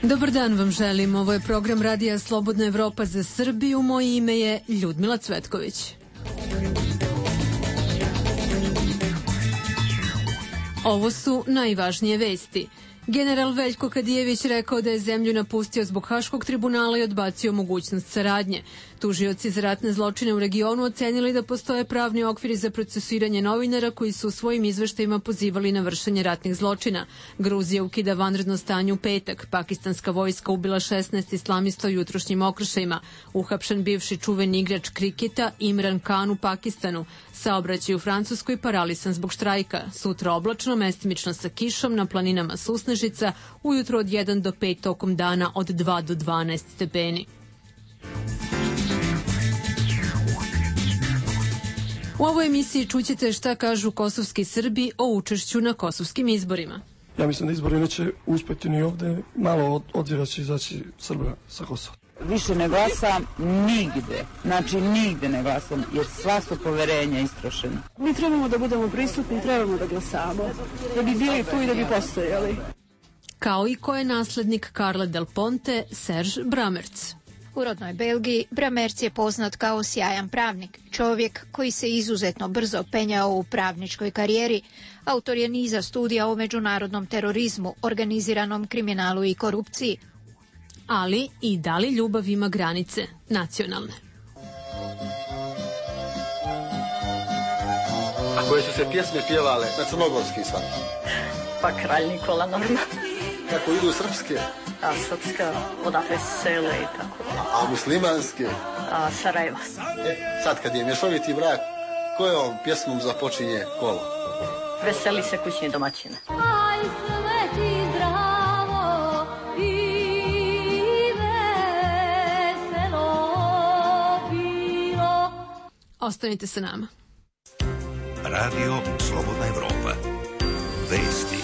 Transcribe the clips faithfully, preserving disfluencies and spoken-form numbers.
Dobar dan vam želim. Ovo je program Radija Slobodna Evropa za Srbiju. Moje ime je Ljudmila Cvetković. Ovo su najvažnije vesti. General Veljko Kadijević rekao da je zemlju napustio zbog Haškog tribunala i odbacio mogućnost saradnje. Tužioci za ratne zločine u regionu ocenili da postoje pravni okviri za procesiranje novinara koji su u svojim izveštajima pozivali na vršenje ratnih zločina. Gruzija ukida vanredno stanje u petak. Pakistanska vojska ubila šesnaest islamista u jutrošnjim okršajima. Uhapšen bivši čuveni igrač kriketa Imran Khan u Pakistanu. Saobraćaj u Francuskoj paralisan zbog štrajka. Sutra oblačno, mestimično sa kišom, na planinama susnežica, ujutro od jedan do pet, tokom dana od dva do dvanaest stepeni. U ovoj emisiji čućete šta kažu kosovski Srbi o učešću na kosovskim izborima. Ja mislim da izbori neće uspeti ni ovde, malo od, odvira će izaći Srba sa Kosova. Više ne glasam nigde, znači nigde ne glasam, jer sva su poverenja istrošena. Mi trebamo da budemo prisutni, trebamo da glasamo, da bi bili tu i da bi postojali. Kao i ko je naslednik Karla Del Ponte, Serge Bramertz. U rodnoj Belgiji Bramertz je poznat kao sjajan pravnik, čovjek koji se izuzetno brzo penjao u pravničkoj karijeri. Autor je niza studija o međunarodnom terorizmu, organiziranom kriminalu i korupciji. Ali i da li ljubav ima granice nacionalne? A koje su se pjesme pjevale na crnogorski sad? Pa Kralj Nikola normalno. Kako idu srpske? A srpska, odakle sele i tako. A muslimanske? A Sarajeva. E, sad kad je mješoviti brak, kojom pjesmom započinje kolo? Veseli se kućni domaćine. Aj sveti zdravo i veselo bilo. Ostanite sa nama. Radio Slobodna Evropa. Vesti.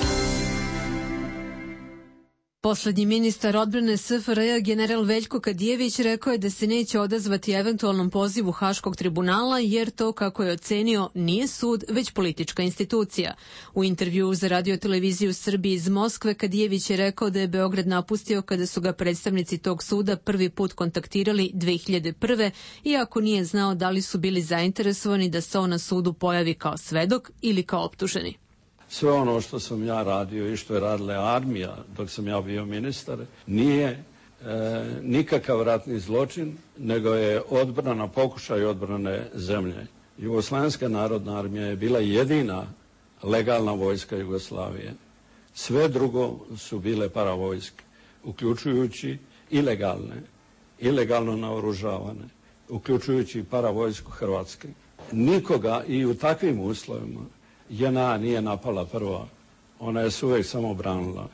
Poslednji ministar odbrane S F R J general Veljko Kadijević rekao je da se neće odazvati eventualnom pozivu Haškog tribunala jer to, kako je ocenio, nije sud, već politička institucija. U intervjuu za Radio-televiziju Srbije iz Moskve Kadijević je rekao da je Beograd napustio kada su ga predstavnici tog suda prvi put kontaktirali dve hiljade prve, iako nije znao da li su bili zainteresovani da se on na sudu pojavi kao svedok ili kao optuženi. Sve ono što sam ja radio i što je radila armija dok sam ja bio ministar nije e, nikakav ratni zločin, nego je odbrana, pokušaj odbrane zemlje. Jugoslovenska narodna armija je bila jedina legalna vojska Jugoslavije. Sve drugo su bile paravojske, uključujući ilegalne, ilegalno naoružavane, uključujući paravojsku Hrvatske. Nikoga i u takvim uslovima J N A nije napala prva, ona je se uvijek samo branila.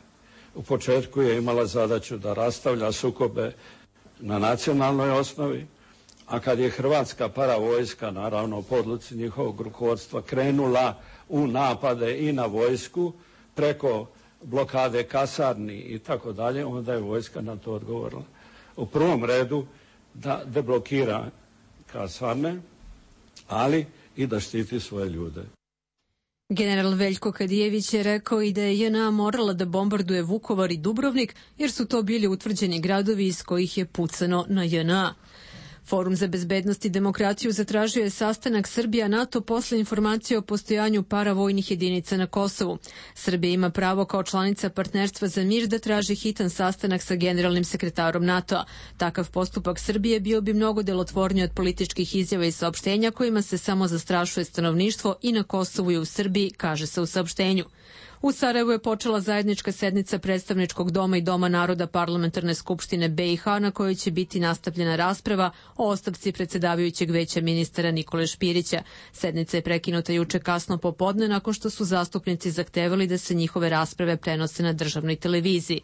U početku je imala zadaću da rastavlja sukobe na nacionalnoj osnovi, a kad je Hrvatska paravojska, naravno po odluci njihovog rukovodstva, krenula u napade i na vojsku preko blokade kasarni i tako dalje, onda je vojska na to odgovorila. U prvom redu da deblokira kasarne, ali i da štiti svoje ljude. General Veljko Kadijević je rekao i da je J N A morala da bombarduje Vukovar i Dubrovnik jer su to bili utvrđeni gradovi iz kojih je pucano na J N A. Forum za bezbednost i demokratiju zatražio je sastanak Srbija-NATO posle informacije o postojanju paravojnih jedinica na Kosovu. Srbija ima pravo kao članica partnerstva za mir da traži hitan sastanak sa generalnim sekretarom NATO-a. Takav postupak Srbije bio bi mnogo delotvorniji od političkih izjava i saopštenja kojima se samo zastrašuje stanovništvo i na Kosovu i u Srbiji, kaže se u saopštenju. U Sarajevu je počela zajednička sednica Predstavničkog doma i Doma naroda Parlamentarne skupštine B i H na kojoj će biti nastavljena rasprava o ostavci predsedavajućeg veća ministara Nikole Špirića. Sednica je prekinuta juče kasno popodne nakon što su zastupnici zahtevali da se njihove rasprave prenose na državnoj televiziji.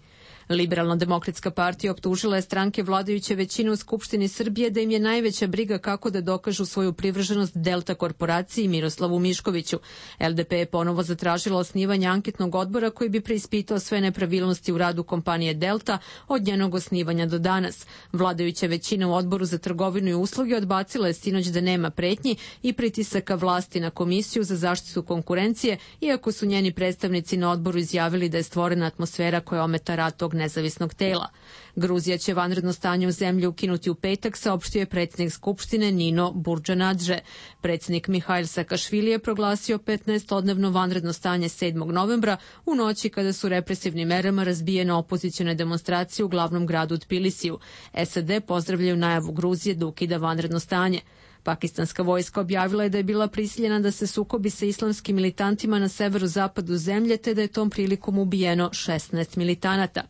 Liberalno-demokratska partija optužila je stranke vladajuće većine u Skupštini Srbije da im je najveća briga kako da dokažu svoju privrženost Delta korporaciji i Miroslavu Miškoviću. L D P je ponovo zatražila osnivanje anketnog odbora koji bi preispitao sve nepravilnosti u radu kompanije Delta od njenog osnivanja do danas. Vladajuća većina u odboru za trgovinu i usluge odbacila je sinoć da nema pretnji i pritisaka vlasti na Komisiju za zaštitu konkurencije, iako su njeni predstavnici na odboru izjavili da je stvorena atmosfera koja ometa rad tog nezavisnog tela. Gruzija će vanredno stanje u zemlji ukinuti u petak, saopštio je predsjednik Skupštine Nino Burdžanadže. Predsjednik Mihajl Sakašvili je proglasio petnaestodnevno vanredno stanje sedmog novembra u noći kada su represivnim merama razbijene opozicione demonstracije u glavnom gradu Tbilisiju. S A D pozdravljaju najavu Gruzije da ukida vanredno stanje. Pakistanska vojska objavila je da je bila prisiljena da se sukobi sa islamskim militantima na severozapadu zemlje, te da je tom prilikom ubijeno šesnaest militanata.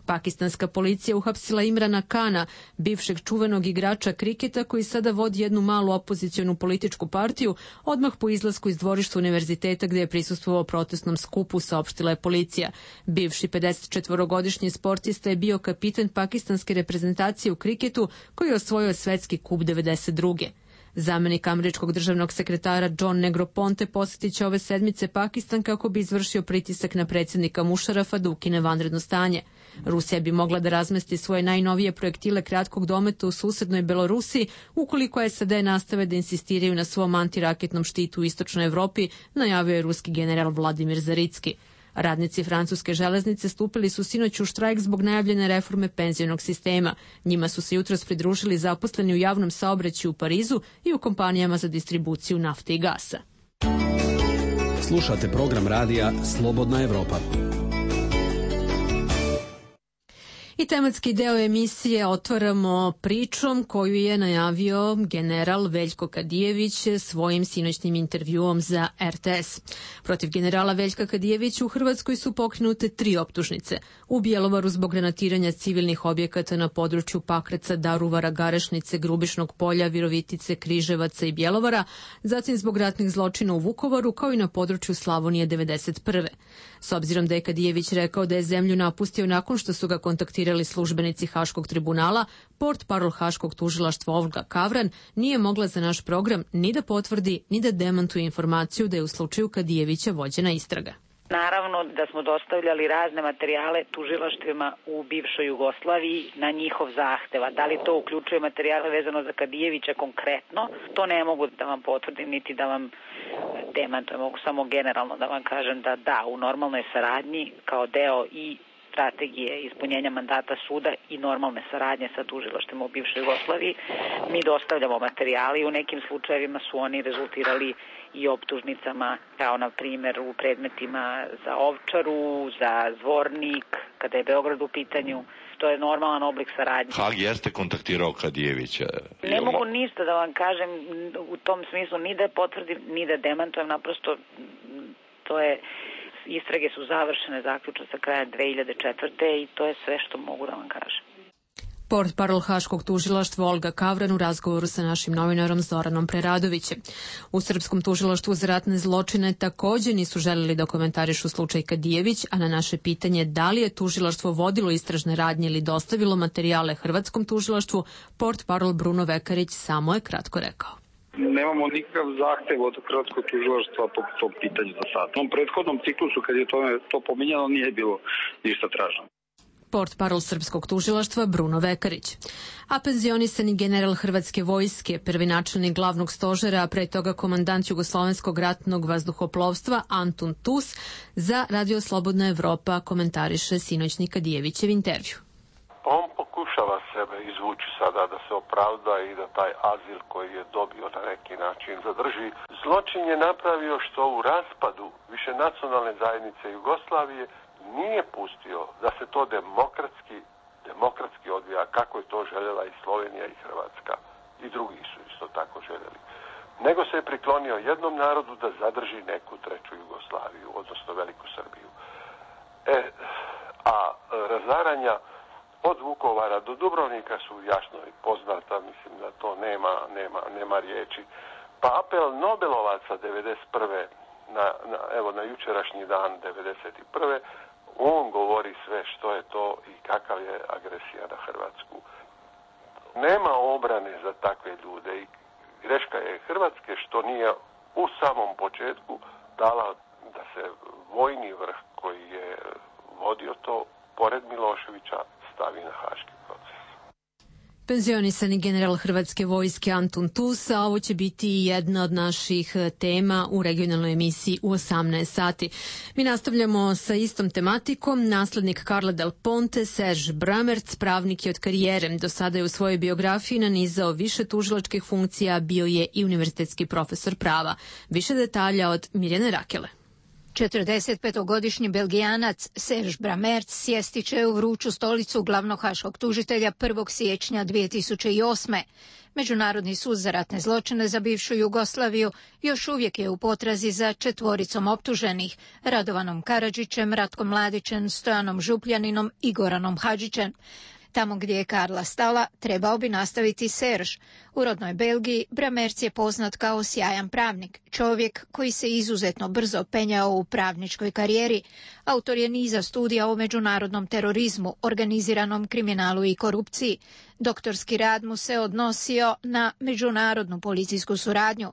Pakistanska policija uhapsila Imrana Kana, bivšeg čuvenog igrača kriketa koji sada vodi jednu malu opozicionu političku partiju, odmah po izlasku iz dvorišta univerziteta gde je prisustvovao protestnom skupu, saopštila je policija. Bivši pedesetčetvorogodišnji sportista je bio kapitan pakistanske reprezentacije u kriketu koji je osvojio svetski kup devedeset druge. Zamenik američkog državnog sekretara John Negroponte posjetit će ove sedmice Pakistan kako bi izvršio pritisak na predsjednika Mušarafa da ukine vanredno stanje. Rusija bi mogla da razmesti svoje najnovije projektile kratkog dometa u susednoj Belorusiji ukoliko S A D nastave da insistiraju na svom antiraketnom štitu u istočnoj Evropi, najavio je ruski general Vladimir Zaricki. Radnici francuske železnice stupili su sinoć u štrajk zbog najavljene reforme penzionog sistema. Njima su se jutros pridružili zaposleni u javnom saobraćaju u Parizu i u kompanijama za distribuciju nafte i gasa. Slušate program radija Slobodna Evropa. I tematski deo emisije otvaramo pričom koju je najavio general Veljko Kadijević svojim sinoćnim intervjuom za R T S. Protiv generala Veljka Kadijevića u Hrvatskoj su pokrenute tri optužnice. U Bjelovaru zbog granatiranja civilnih objekata na području Pakraca, Daruvara, Garešnice, Grubišnog polja, Virovitice, Križevaca i Bjelovara, zatim zbog ratnih zločina u Vukovaru, kao i na području Slavonije devedeset prve. S obzirom da je Kadijević rekao da je zemlju napustio nakon što su ga kontaktirali službenici Haškog tribunala, portparol Haškog tužilaštva Olga Kavran nije mogla za naš program ni da potvrdi, ni da demantuje informaciju da je u slučaju Kadijevića vođena istraga. Naravno da smo dostavljali razne materijale tužilaštvima u bivšoj Jugoslaviji na njihov zahteva. Da li to uključuje materijale vezano za Kadijevića konkretno, to ne mogu da vam potvrdim niti da vam demantujem. Mogu samo generalno da vam kažem da da, u normalnoj saradnji kao deo i strategije ispunjenja mandata suda i normalne saradnje sa tužilaštvima u bivšoj Jugoslaviji mi dostavljamo materijali i u nekim slučajevima su oni rezultirali i optužnicama, kao na primjer u predmetima za Ovčaru, za Zvornik, kada je Beograd u pitanju. To je normalan oblik saradnje. Hag jeste kontaktirao Kadijevića? Ne mogu ništa da vam kažem u tom smislu, ni da potvrdim, ni da demantujem, naprosto to je... Istrage su završene, zaključno sa kraja dve hiljade četvrte i to je sve što mogu da vam kažem. Portparol Haškog tužilaštva Olga Kavran u razgovoru sa našim novinarom Zoranom Preradovićem. U Srpskom tužilaštvu za ratne zločine također nisu želeli da komentarišu slučaj Kadijević, a na naše pitanje da li je tužilaštvo vodilo istražne radnje ili dostavilo materijale Hrvatskom tužilaštvu, portparol Bruno Vekarić samo je kratko rekao. Nemamo nikakav zahtev od Hrvatskog tužilaštva po tom pitanju za sad. U tom prethodnom ciklusu kad je to, to pominjano nije bilo ništa traženo. Portparol Srpskog tužilaštva Bruno Vekarić. A penzionisani general Hrvatske vojske, prvi načelnik glavnog stožera, a pre toga komandant Jugoslovenskog ratnog vazduhoplovstva Antun Tus, za Radio Slobodna Evropa komentariše sinoćni Kadijevićev intervju. On pokušava sebe izvući sada da se opravda i da taj azil koji je dobio na neki način zadrži. Zločin je napravio što u raspadu više nacionalne zajednice Jugoslavije nije pustio da se to demokratski, demokratski odvija kako je to željela i Slovenija i Hrvatska i drugi su isto tako željeli. Nego se je priklonio jednom narodu da zadrži neku treću Jugoslaviju, odnosno Veliku Srbiju. E, a razaranja od Vukovara do Dubrovnika su jasno i poznata, mislim da to nema, nema, nema riječi. Pa apel Nobelovaca devedeset prve na, na, evo, na jučerašnji dan devedeset prve on govori sve što je to i kakav je agresija na Hrvatsku. Nema obrane za takve ljude i greška je Hrvatske što nije u samom početku dala da se vojni vrh koji je vodio to pored Miloševića stavi na haški proces. Penzionisani general Hrvatske vojske Antun Tus, a ovo će biti jedna od naših tema u regionalnoj emisiji u osamnaest sati. Mi nastavljamo sa istom tematikom. Naslednik Karla Del Ponte, Serge Bramertz, pravnik je od karijere. Do sada je u svojoj biografiji nanizao više tužilačkih funkcija, bio je i univerzitetski profesor prava. Više detalja od Mirjane Rakele. četrdesetpetogodišnji Belgijanac Serge Bramertz sjesti će u vruću stolicu glavnog haškog tužitelja prvog siječnja dvije tisuće osme. Međunarodni sud za ratne zločine za bivšu Jugoslaviju još uvijek je u potrazi za četvoricom optuženih, Radovanom Karadžićem, Ratkom Mladićem, Stojanom Župljaninom i Goranom Hadžićem. Tamo gdje je Karla stala, trebao bi nastaviti Serge. U rodnoj Belgiji Bramertz je poznat kao sjajan pravnik, čovjek koji se izuzetno brzo penjao u pravničkoj karijeri. Autor je niza studija o međunarodnom terorizmu, organiziranom kriminalu i korupciji. Doktorski rad mu se odnosio na međunarodnu policijsku suradnju.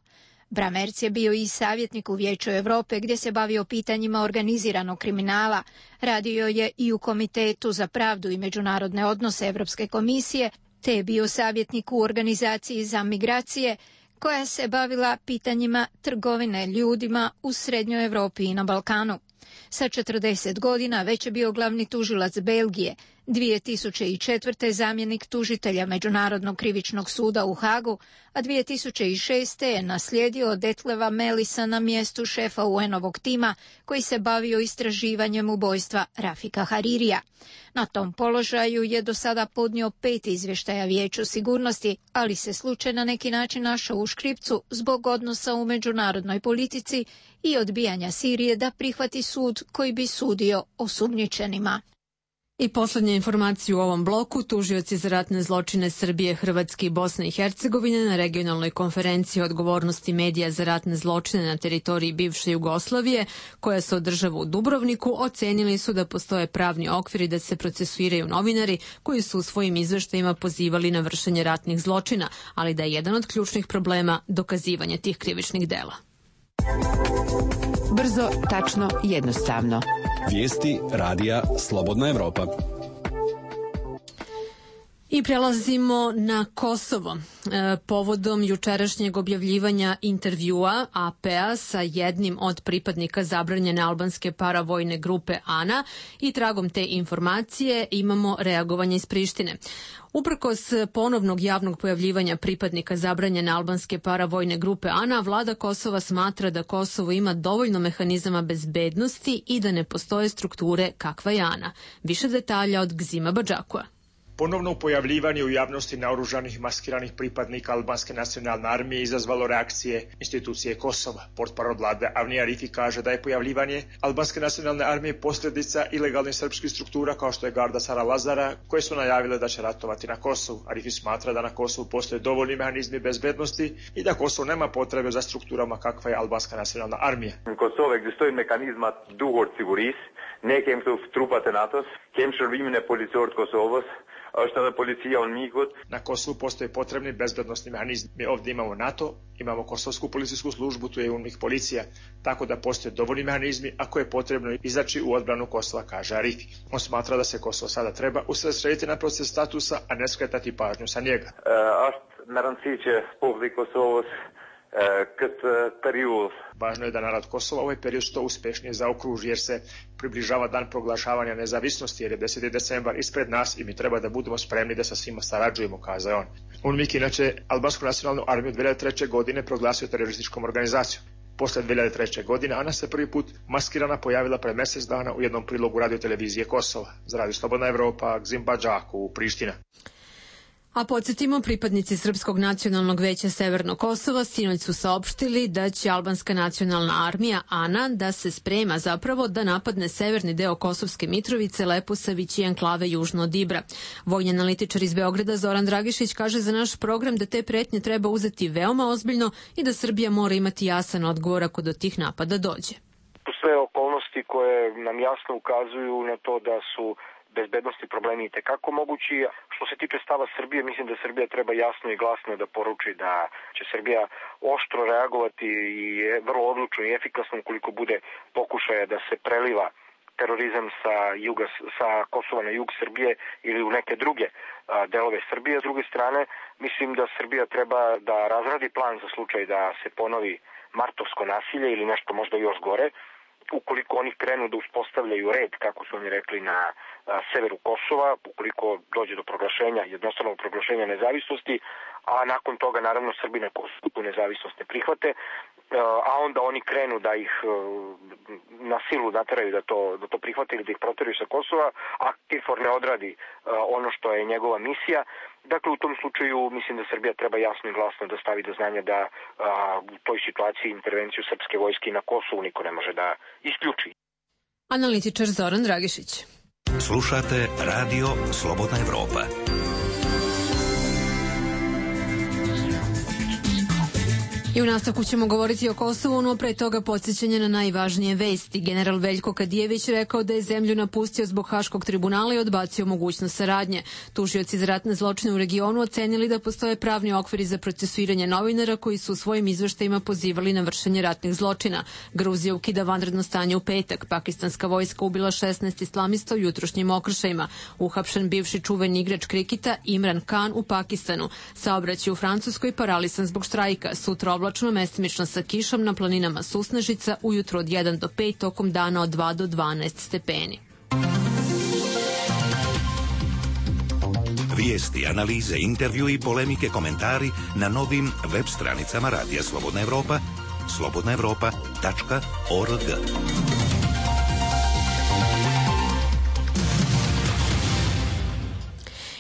Bramertz je bio i savjetnik u Vijeću Europe gdje se bavio pitanjima organiziranog kriminala. Radio je i u Komitetu za pravdu i međunarodne odnose Europske komisije, te je bio savjetnik u organizaciji za migracije koja se bavila pitanjima trgovine ljudima u Srednjoj Europi i na Balkanu. Sa četrdeset godina već je bio glavni tužilac Belgije, dvije tisuće četvrte zamjenik tužitelja Međunarodnog krivičnog suda u Hagu, a dvije tisuće šeste je naslijedio Detleva Melisa na mjestu šefa U N-ovog tima koji se bavio istraživanjem ubojstva Rafika Haririja. Na tom položaju je do sada podnio pet izvještaja Vijeću sigurnosti, ali se slučaj na neki način našao u škripcu zbog odnosa u međunarodnoj politici i odbijanja Sirije da prihvati sud koji bi sudio osumnjičenima. I posljednja informacija u ovom bloku, tužioci za ratne zločine Srbije, Hrvatske i Bosne i Hercegovine na regionalnoj konferenciji o odgovornosti medija za ratne zločine na teritoriji bivše Jugoslavije, koja se održava u Dubrovniku, ocenili su da postoje pravni okviri da se procesuiraju novinari koji su u svojim izveštajima pozivali na vršenje ratnih zločina, ali da je jedan od ključnih problema dokazivanje tih krivičnih dela. Brzo, tačno, jednostavno. Vijesti radija Slobodna Evropa. I prelazimo na Kosovo. E, povodom jučerašnjeg objavljivanja intervjua A P-a sa jednim od pripadnika zabranjene albanske paravojne grupe ANA i tragom te informacije imamo reagovanje iz Prištine. Uprkos ponovnog javnog pojavljivanja pripadnika zabranjene albanske paravojne grupe ANA, vlada Kosova smatra da Kosovo ima dovoljno mehanizama bezbednosti i da ne postoje strukture kakva je ANA. Više detalja od Gzima Badžakua. Ponovno pojavljivanje u javnosti naoružanih maskiranih pripadnika albanske nacionalne armije izazvalo reakcije institucije Kosova. Portparol vlade Avni Arifi kaže da je pojavljivanje albanske nacionalne armije posljedica ilegalnih srpskih struktura kao što je Garda Sara Lazara, koje su najavile da će ratovati na Kosovu. Arifi smatra da na Kosovu postoje dovoljni mehanizmi bezbednosti i da Kosovo nema potrebe za strukturama kakva je albanska nacionalna armija. În Kosovo existojnë mekanizmat duhur të sigurisë, ne kemi këtu trupat e NATO-s, kemi shërbimin e policorët Kosovës, është edhe policia on migut. Na Kosovu postoje potrebni bezbednosni mehanizmi. Mi ovdje imamo NATO, imamo Kosovsku policijsku službu, tu je UNMIK policija, tako da postoje dovoljni mehanizmi ako je potrebno izaći u odbranu Kosova, kaže Arifi. On smatra da se Kosovo sada treba usredsrediti na proces statusa, a ne skretati pažnju sa njega. Uh, është me rëndësi që populli Kosovës këtë period. Važno je da narod Kosova ovaj period što uspješnije zaokruži jer se približava dan proglašavanja nezavisnosti jer je deseti decembar ispred nas i mi treba da budemo spremni da sa svima sarađujemo, kaže on. UNMIK inače albansku nacionalnu armiju dvije hiljade treće godine proglasio terorističkom organizacijom. Posle dvije hiljade treće godine Ana se prvi put maskirana pojavila pre mjesec dana u jednom prilogu radiotelevizije Kosova. Za Radio Slobodna Evropa, Gzim Badžaku, Priština. A podsjetimo, pripadnici Srpskog nacionalnog veća Severnog Kosova sinoć su saopštili da će albanska nacionalna armija ANA da se sprema zapravo da napadne severni deo Kosovske Mitrovice, Leposavić i enklave južno od Ibra. Vojni analitičar iz Beograda Zoran Dragišić kaže za naš program da te pretnje treba uzeti veoma ozbiljno i da Srbija mora imati jasan odgovor ako do tih napada dođe. Sve okolnosti koje nam jasno ukazuju na to da su bezbednosti problemi i tekako mogući. Što se tiče stava Srbije, mislim da Srbija treba jasno i glasno da poruči da će Srbija oštro reagovati i vrlo odlučno i efikasno ukoliko bude pokušaja da se preliva terorizam sa juga, sa Kosova na jug Srbije ili u neke druge a, delove Srbije. S druge strane, mislim da Srbija treba da razradi plan za slučaj da se ponovi martovsko nasilje ili nešto možda još gore, ukoliko oni krenu da uspostavljaju red, kako su oni rekli, na a, severu Kosova, ukoliko dođe do proglašenja, jednostavnog proglašenja nezavisnosti, a nakon toga naravno Srbi na Kosovu tu nezavisnost ne prihvate, a onda oni krenu da ih na silu nateraju da to, da to prihvate ili da ih proteraju sa Kosova, a KFOR ne odradi ono što je njegova misija. Dakle, u tom slučaju mislim da Srbija treba jasno i glasno da stavi do znanja da a, u toj situaciji intervenciju srpske vojske na Kosovu niko ne može da isključi. Analitičar Zoran Dragišić. Slušate Radio Slobodna Evropa. I u nastavku ćemo govoriti o Kosovu, no pre toga podsjećanje na najvažnije vesti. General Veljko Kadijević rekao da je zemlju napustio zbog Haškog tribunala i odbacio mogućnost saradnje. Tužioci za ratne zločine u regionu ocenili da postoje pravni okviri za procesuiranje novinara koji su u svojim izveštajima pozivali na vršenje ratnih zločina. Gruzija ukida vanredno stanje u petak. Pakistanska vojska ubila šesnaest islamista u jutrošnjim okršajima. Uhapšen bivši čuveni igrač kriketa Imran Khan u Pakistanu. Saobraćaj u Francuskoj paralisan zbog štrajka. Sutra oblačno, mestimično sa kišom na planinama Susnežica, ujutro od jedan do pet, tokom dana od dva do dvanaest stepeni. Vijesti, analize, intervju i polemike, komentari na novim web stranicama Radija Slobodna Evropa, slobodna evropa tačka org.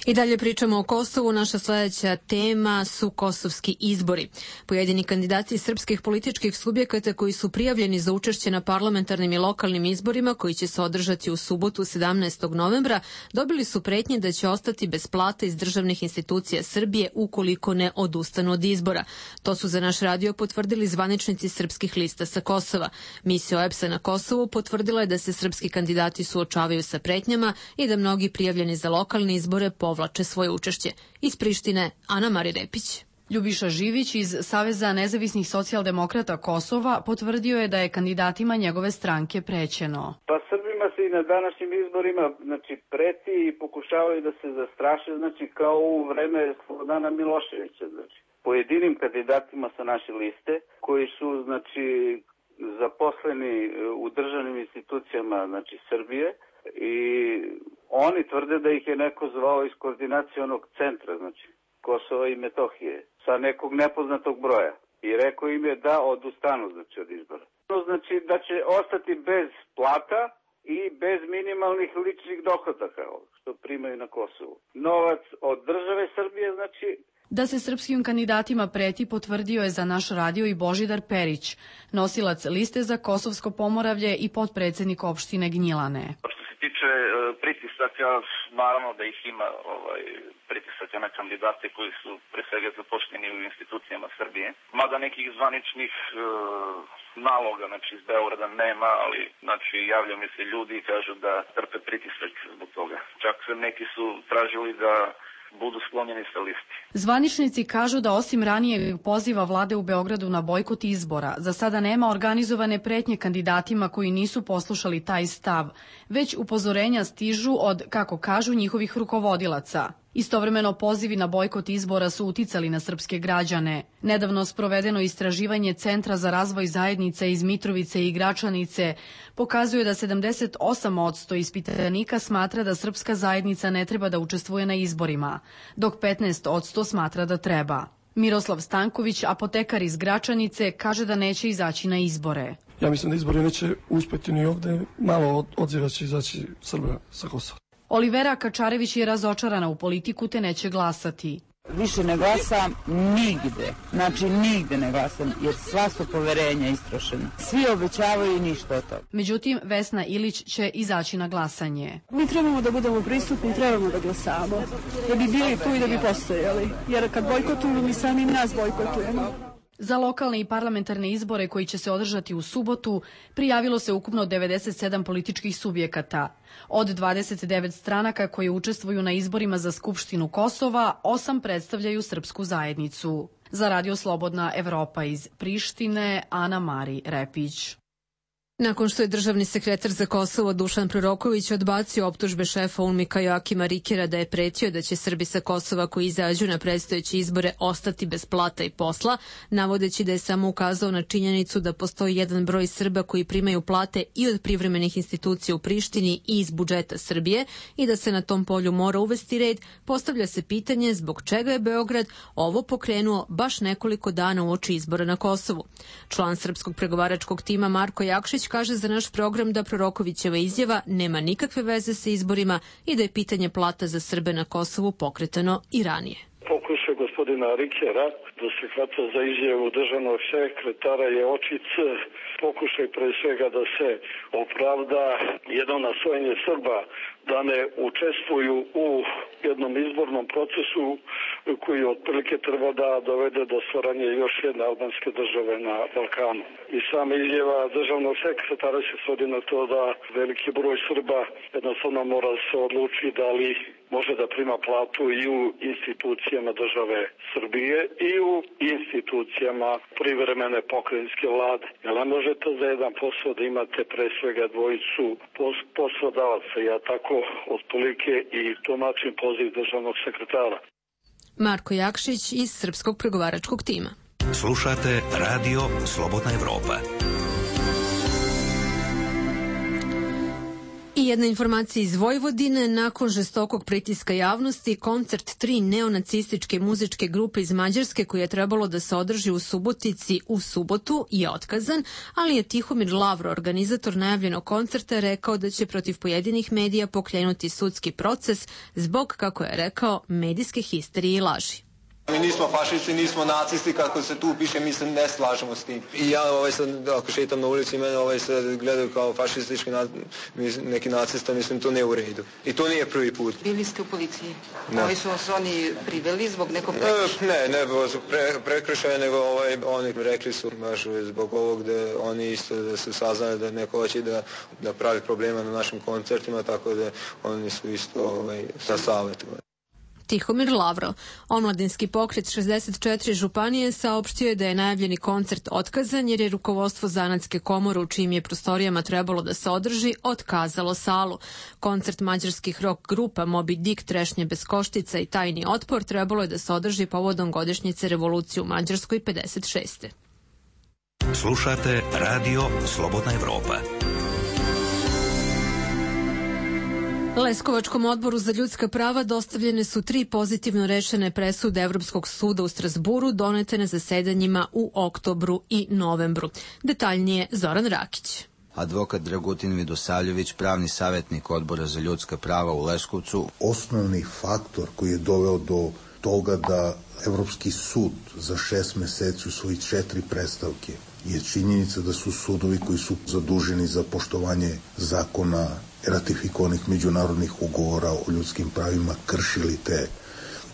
I dalje pričamo o Kosovu. Naša sledeća tema su kosovski izbori. Pojedini kandidati srpskih političkih subjekata koji su prijavljeni za učešće na parlamentarnim i lokalnim izborima koji će se održati u subotu sedamnaestog novembra dobili su pretnje da će ostati bez plata iz državnih institucija Srbije ukoliko ne odustanu od izbora. To su za naš radio potvrdili zvaničnici srpskih lista sa Kosova. Misija O E B S-a na Kosovu potvrdila je da se srpski kandidati suočavaju sa pretnjama i da mnogi prijavljeni za lokalne izbore povlače svoje učešće. Iz Prištine, Ana Mari Repić. Ljubiša Živić iz Saveza nezavisnih socijaldemokrata Kosova potvrdio je da je kandidatima njegove stranke prećeno. Pa Srbima se i na današnjim izborima znači, preti i pokušavaju da se zastraše, znači kao u vreme Slobodana Miloševića. Znači. Pojedinim kandidatima sa naše liste koji su znači, zaposleni u državnim institucijama znači, Srbije i oni tvrde da ih je neko zvao iz koordinacionog centra, znači Kosova i Metohije, sa nekog nepoznatog broja. I rekao im je da odustanu znači, od izbora. Znači da će ostati bez plata i bez minimalnih ličnih dohodaka, što primaju na Kosovu. Novac od države Srbije, znači... Da se srpskim kandidatima preti potvrdio je za naš radio i Božidar Perić, nosilac liste za Kosovsko Pomoravlje i potpredsednik opštine Gnjilane. Tiče e, pritisaka, naravno da ih ima ovaj, pritisaka na kandidate koji su pre svega zaposleni u institucijama Srbije. Mada nekih zvaničnih e, naloga znači, iz Beograda nema, ali znači, javljaju mi se ljudi i kažu da trpe pritisak zbog toga. Čak neki su tražili da budu sklonjeni sa listi. Zvaničnici kažu da osim ranijeg poziva vlade u Beogradu na bojkot izbora, za sada nema organizovane pretnje kandidatima koji nisu poslušali taj stav, već upozorenja stižu od, kako kažu, njihovih rukovodilaca. Istovremeno pozivi na bojkot izbora su uticali na srpske građane. Nedavno sprovedeno istraživanje Centra za razvoj zajednica iz Mitrovice i Gračanice pokazuje da sedamdeset osam posto ispitanika smatra da srpska zajednica ne treba da učestvuje na izborima, dok petnaest posto smatra da treba. Miroslav Stanković, apotekar iz Gračanice, kaže da neće izaći na izbore. Ja mislim da izbori neće uspeti ni ovde, malo odziva će izaći Srba sa Kosova. Olivera Kačarević je razočarana u politiku te neće glasati. Više ne glasam nigde, znači nigde ne glasam, jer sva su poverenja istrošena. Svi obećavaju i ništa od toga. Međutim, Vesna Ilić će izaći na glasanje. Mi trebamo da budemo prisutni, trebamo da glasamo, da bi bili tu i da bi postojali, jer kad bojkotujemo, mi sami nas bojkotujemo. Za lokalne i parlamentarne izbore koji će se održati u subotu prijavilo se ukupno devedeset sedam političkih subjekata. Od dvadeset devet stranaka koje učestvuju na izborima za Skupštinu Kosova, osam predstavljaju srpsku zajednicu. Za Radio Slobodna Evropa iz Prištine, Ana Mari Repić. Nakon što je državni sekretar za Kosovo Dušan Proroković odbacio optužbe šefa UNMIK-a Joakima Rikera da je pretio da će Srbi sa Kosova koji izađu na predstojeće izbore ostati bez plata i posla, navodeći da je samo ukazao na činjenicu da postoji jedan broj Srba koji primaju plate i od privremenih institucija u Prištini i iz budžeta Srbije i da se na tom polju mora uvesti red, postavlja se pitanje zbog čega je Beograd ovo pokrenuo baš nekoliko dana uoči izbora na Kosovu. Član srpskog pregovaračkog tima Marko Jakšić kaže za naš program da Prorokovićeva izjava nema nikakve veze sa izborima i da je pitanje plata za Srbe na Kosovu pokretano i ranije. Pokušaj gospodina Rikera da se hvata za izjavu državnog sekretara je očit pokušaj pre svega da se opravda jedno nasvojenje Srba da ne učestvuju u jednom izbornom procesu koji otprilike treba da dovede do stvaranja još jedne albanske države na Balkanu. I sama izjava državnog sekretara se svodi na to da veliki broj Srba jednostavno mora se odluči da li može da prima platu i u institucijama države Srbije i u institucijama privremene pokrajinske vlade. Jer ne možete za jedan posao da imate pre svega dvojicu poslodavaca. Ja tako otprilike i tumačim poziv državnog sekretara. Marko Jakšić iz Srpskog pregovaračkog tima. Slušate Radio Slobodna Evropa. I jedna informacija iz Vojvodine. Nakon žestokog pritiska javnosti, koncert tri neonacističke muzičke grupe iz Mađarske koji je trebalo da se održi u Subotici u subotu je otkazan, ali je Tihomir Lavro, organizator najavljenog koncerta, rekao da će protiv pojedinih medija pokrenuti sudski proces zbog, kako je rekao, medijske histerije i laži. Mi nismo fašisti, nismo nacisti, kako se tu piše, mislim, ne slažemo s tim. I ja, ovaj sad, ako šetam na ulici, mene ovaj sad gledaju kao fašistički neki nacista, mislim, to ne u redu. I to nije prvi put. Bili ste u policiji? Ne. Ovi su vas oni priveli zbog nekog prekršaja? Ne, ne, ne pre, prekršaja, nego ovaj, oni rekli su baš zbog ovog da oni isto da su saznali da neko hoće da, da pravi problema na našim koncertima, tako da oni su isto ovaj, sa savjetom. Tihomir Lavro. Omladinski pokret šezdeset četiri županije saopštio je da je najavljeni koncert otkazan jer je rukovodstvo Zanatske komore u čijim je prostorijama trebalo da se održi otkazalo salu. Koncert mađarskih rock grupa Moby Dick, Trešnje bez koštica i Tajni otpor trebalo je da se održi povodom godišnjice revolucije u Mađarskoj pedeset šeste. Slušate Radio Slobodna Evropa. Leskovačkom odboru za ljudska prava dostavljene su tri pozitivno rešene presude Evropskog suda u Strazburu donete na zasedanjima u oktobru i novembru. Detaljnije Zoran Rakić. Advokat Dragutin Vidosavljević, pravni savjetnik odbora za ljudska prava u Leskovcu. Osnovni faktor koji je doveo do toga da Evropski sud za šest meseci u svojih četiri predstavke je činjenica da su sudovi koji su zaduženi za poštovanje zakona, ratifikovanih međunarodnih ugovora o ljudskim pravima kršili te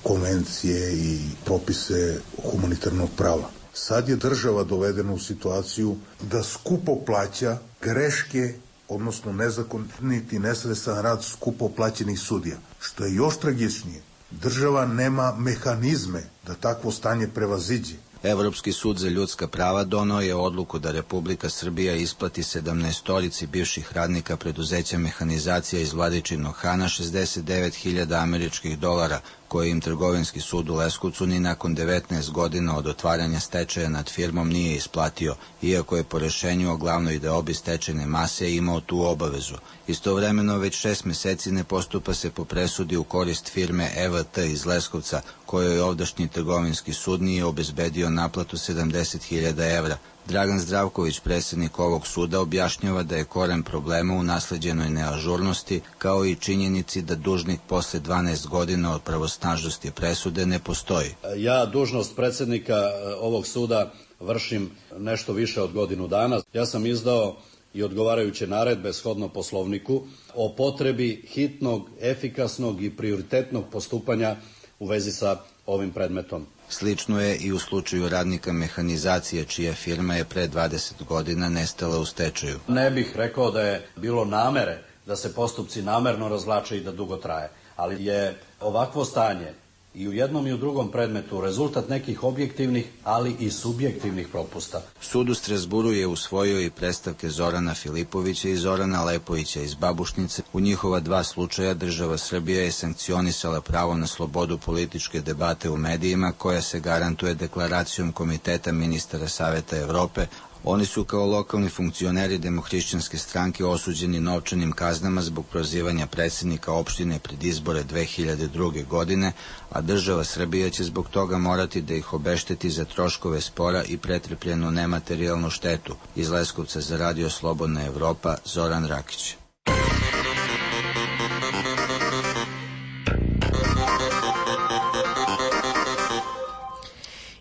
konvencije i propise humanitarnog prava. Sad je država dovedena u situaciju da skupo plaća greške, odnosno nezakoniti nesredan rad skupo plaćenih sudija. Što je još tragičnije, država nema mehanizme da takvo stanje prevaziđe. Evropski sud za ljudska prava donao je odluku da Republika Srbija isplati sedamnaestorici bivših radnika preduzeća Mehanizacija iz Vladičinog Hana šezdeset devet hiljada američkih dolara, koje im trgovinski sud u Leskovcu ni nakon devetnaest godina od otvaranja stečaja nad firmom nije isplatio, iako je po rešenju o glavnoj deobi stečajne mase imao tu obavezu. Istovremeno već šest meseci ne postupa se po presudi u korist firme E V T iz Leskovca, kojoj ovdašnji trgovinski sud nije obezbedio naplatu sedamdeset hiljada evra. Dragan Zdravković, predsjednik ovog suda, objašnjava da je koren problema u nasleđenoj neažurnosti, kao i činjenici da dužnik posle dvanaest godina od pravosnažnosti presude ne postoji. Ja dužnost predsjednika ovog suda vršim nešto više od godinu dana. Ja sam izdao i odgovarajuće naredbe shodno Poslovniku o potrebi hitnog, efikasnog i prioritetnog postupanja u vezi sa ovim predmetom. Slično je i u slučaju radnika Mehanizacije, čija firma je pre dvadeset godina nestala u stečaju. Ne bih rekao da je bilo namere da se postupci namerno razvlače i da dugo traje, ali je ovakvo stanje i u jednom i u drugom predmetu rezultat nekih objektivnih, ali i subjektivnih propusta. Sud u Strazburu je usvojio i predstavke Zorana Filipovića i Zorana Lepovića iz Babušnice. U njihova dva slučaja država Srbija je sankcionisala pravo na slobodu političke debate u medijima, koja se garantuje deklaracijom Komiteta ministara Saveta Evrope. Oni su kao lokalni funkcioneri Demohrišćanske stranke osuđeni novčanim kaznama zbog prozivanja predsjednika opštine pred izbore dve hiljade druge. godine, a država Srbija će zbog toga morati da ih obešteti za troškove spora i pretrpljenu nematerijalnu štetu. Iz Leskovca za Radio Slobodna Evropa, Zoran Rakić.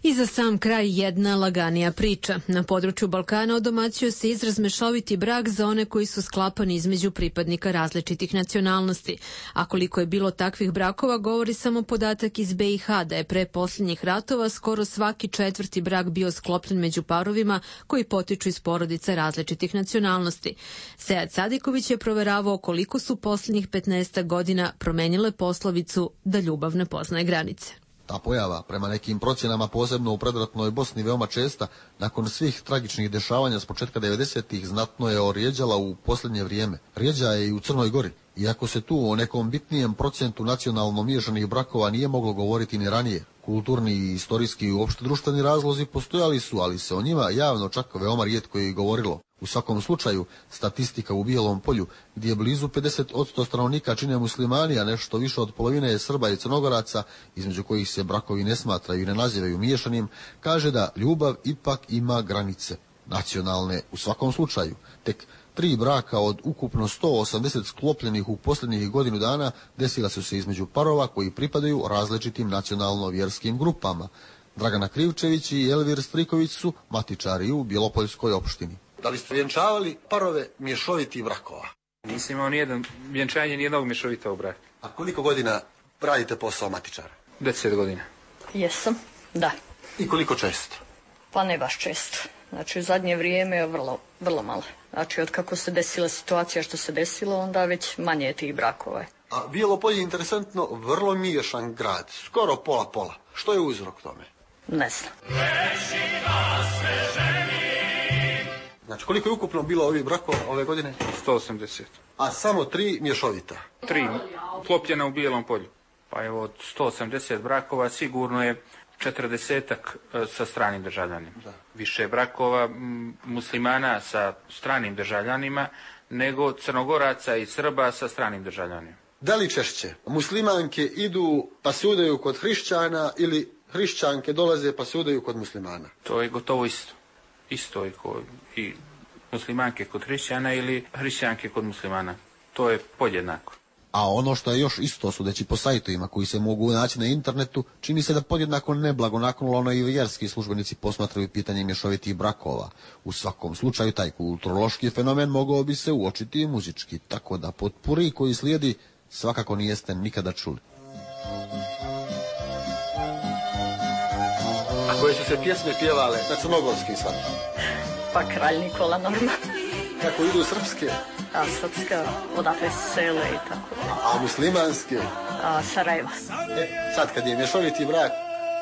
I za sam kraj jedna laganija priča. Na području Balkana odomaćio se izraz mešoviti brak za one koji su sklapani između pripadnika različitih nacionalnosti. A koliko je bilo takvih brakova, govori samo podatak iz Be i Ha da je pre posljednjih ratova skoro svaki četvrti brak bio sklopljen među parovima koji potiču iz porodica različitih nacionalnosti. Sead Sadiković je proveravao koliko su posljednjih petnaestak godina promenile poslovicu da ljubav ne poznaje granice. Ta pojava, prema nekim procjenama, posebno u predratnoj Bosni veoma česta, nakon svih tragičnih dešavanja s početka devedesetih znatno je orijeđala u posljednje vrijeme. Rijeđa je i u Crnoj Gori. Iako se tu o nekom bitnijem procentu nacionalno miješanih brakova nije moglo govoriti ni ranije. Kulturni i istorijski i uopšte društveni razlozi postojali su, ali se o njima javno čak veoma rijetko je i govorilo. U svakom slučaju, statistika u Bijelom polju, gdje blizu pedeset posto stanovnika čine muslimani, a nešto više od polovine je Srba i Crnogoraca, između kojih se brakovi ne smatraju i ne nazivaju miješanim, kaže da ljubav ipak ima granice. Nacionalne u svakom slučaju. Tek tri braka od ukupno sto osamdeset sklopljenih u posljednjih godinu dana desila su se između parova koji pripadaju različitim nacionalno-vjerskim grupama. Dragana Krivčević i Elvir Striković su matičari u Bjelopoljskoj opštini. Da li ste vjenčavali parove mješovitih brakova? Nisam imao nijedan vjenčanje nijednog mješovitog braka. A koliko godina radite posao matičara? Deset godina. Jesam, da. I koliko često? Pa ne baš često. Znači u zadnje vrijeme je vrlo, vrlo malo. Znači od kako se desila situacija što se desilo, onda već manje je tih brakova. A Bijelopolje je interesantno vrlo miješan grad, skoro pola-pola. Što je uzrok tome? Ne znam. Znači, koliko je ukupno bilo ovih brakova ove godine? sto osamdeset. A samo tri mješovita? Tri, klopljena u Bijelom polju. Pa evo, od sto osamdeset brakova sigurno je četrdesetak sa stranim državljanima. Da. Više brakova m, muslimana sa stranim državljanima nego Crnogoraca i Srba sa stranim državljanima. Da li češće muslimanke idu pa sudaju kod hrišćana ili hrišćanke dolaze pa sudaju kod muslimana? To je gotovo isto. Isto je kod i muslimanke kod hrišćana ili hrišćanke kod muslimana. To je podjednako. A ono što je još isto, sudeći po sajtovima koji se mogu naći na internetu, čini se da podjednako neblagonaklono i vjerski službenici posmatraju pitanje mješovitih brakova. U svakom slučaju taj kulturološki fenomen mogao bi se uočiti i muzički, tako da potpuri koji slijedi svakako nijeste nikada čuli. A koje su se pjesme pjevale na crnogorski sad? Pa Kralj Nikola normalno. Kako idu srpske? A srpska, odatle sele i tako. A muslimanske? A Sarajeva. E, sad kad je mješoviti brak,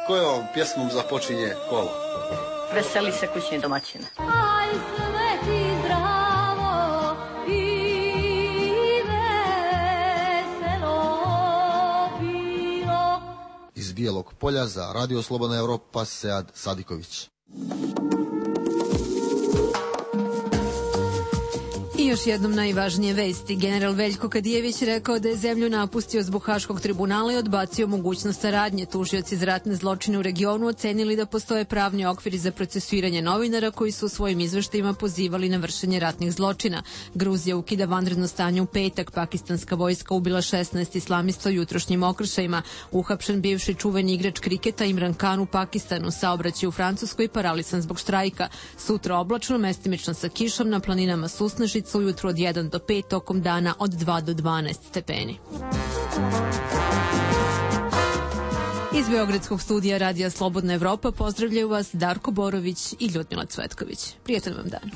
kojom pjesmom započinje kolo? Veseli se kućni domaćina. Aj sve ti zdravo i veselo bilo. Iz Bijelog polja za Radio Slobodna Evropa, Sead Sadiković. I još jednom najvažnije vesti. General Veljko Kadijević rekao da je zemlju napustio zbog Haškog tribunala i odbacio mogućnost saradnje. Tužioci za ratne zločine u regionu ocenili da postoje pravni okviri za procesuiranje novinara koji su u svojim izveštajima pozivali na vršenje ratnih zločina. Gruzija ukida vanredno stanje u petak. Pakistanska vojska ubila šesnaest islamista u jutrošnjim okršajima. Uhapšen bivši čuveni igrač kriketa Imran Khan u Pakistanu. Saobraćaj u Francuskoj paralisan zbog štrajka. Sutra oblačno, mestimično sa kišom, na planinama susnežica, ujutro od jedan do pet, tokom dana od dva do dvanaest stepeni. Iz Beogradskog studija Radija Slobodna Evropa pozdravljaju vas Darko Borović i Ljudmila Cvetković. Prijatan vam dan.